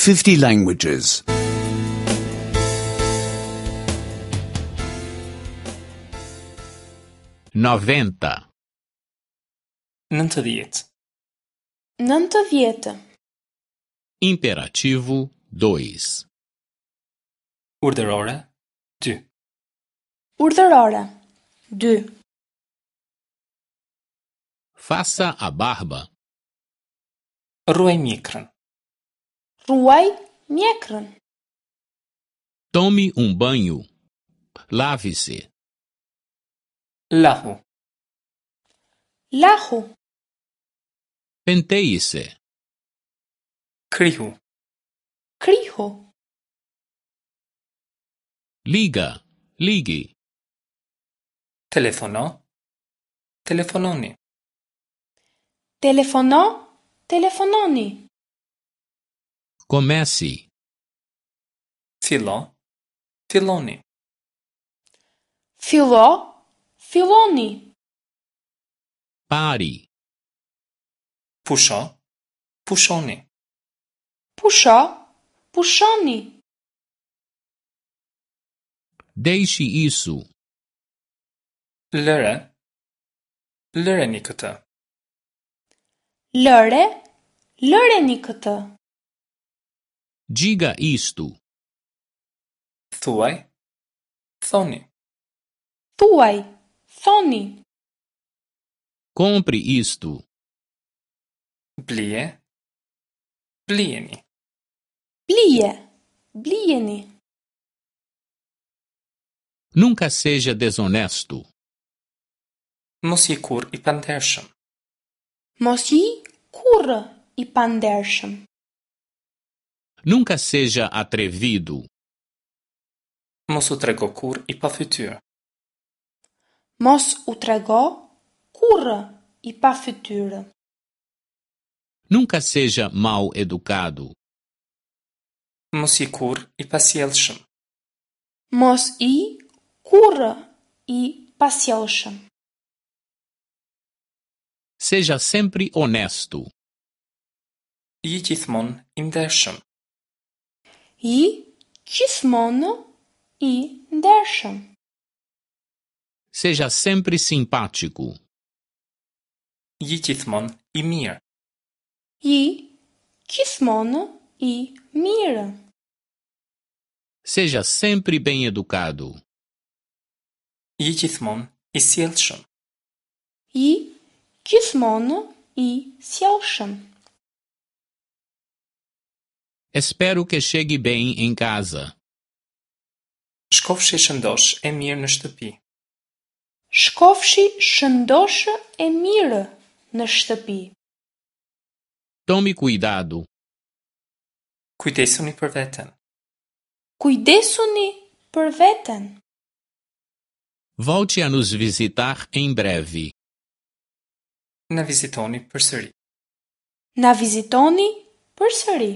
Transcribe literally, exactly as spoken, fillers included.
fifty languages. noventa, Nëntëdhjetë. Nëntëdhjetë. Imperativo dois. Urdhërore dy. Urdhërore. Dy. Faça a barba. Rruaj mjekrën. Rruaj mjekrën. Tome um banho. Lave-se. Lahu. Lahu. Penteie-se. Krihu. Krihu. Liga. Ligue. Telefono. Telefononi. Telefono. Telefononi. Comece. Fillo. Filloni. Fillo. Filloni. Pare. Pusho. Pushoni. Pusho. Pushoni. Deixe isso. Lëre. Lëreni këtë. Lëre. Lëreni këtë. Diga isto. Thuaj. Thoni. Thuaj. Thoni. Compre isto. Blije. Blijeni. Blije. Blijeni. Nunca seja desonesto. Mos ji kurrë i pandershëm. Mos ji kurrë i pandershëm. Nunca seja atrevido. Mos u trego kurrë i pafytyrë. Mos u trego kurrë i pafytyrë. Nunca seja mal educado. Mos ji kurrë i pasjellshëm. Mos ji kurrë i pasjellshëm. Seja sempre honesto. Ji gjithmonë i ndershëm. Ji gjithmonë i ndershëm. Seja sempre simpático. Ji gjithmonë i mirë. Ji gjithmonë i mirë. Seja sempre bem educado. Ji gjithmonë i sjellshëm. Ji gjithmonë i sjellshëm. Espero que chegue bem em casa. Shkofshi shëndosh e mirë në shtëpi. Shkofshi shëndosh e mirë në shtëpi. Tome cuidado. Kujdesuni për veten. Kujdesuni për veten. Volte a nos visitar em breve. Na vizitoni përsëri. Na vizitoni përsëri.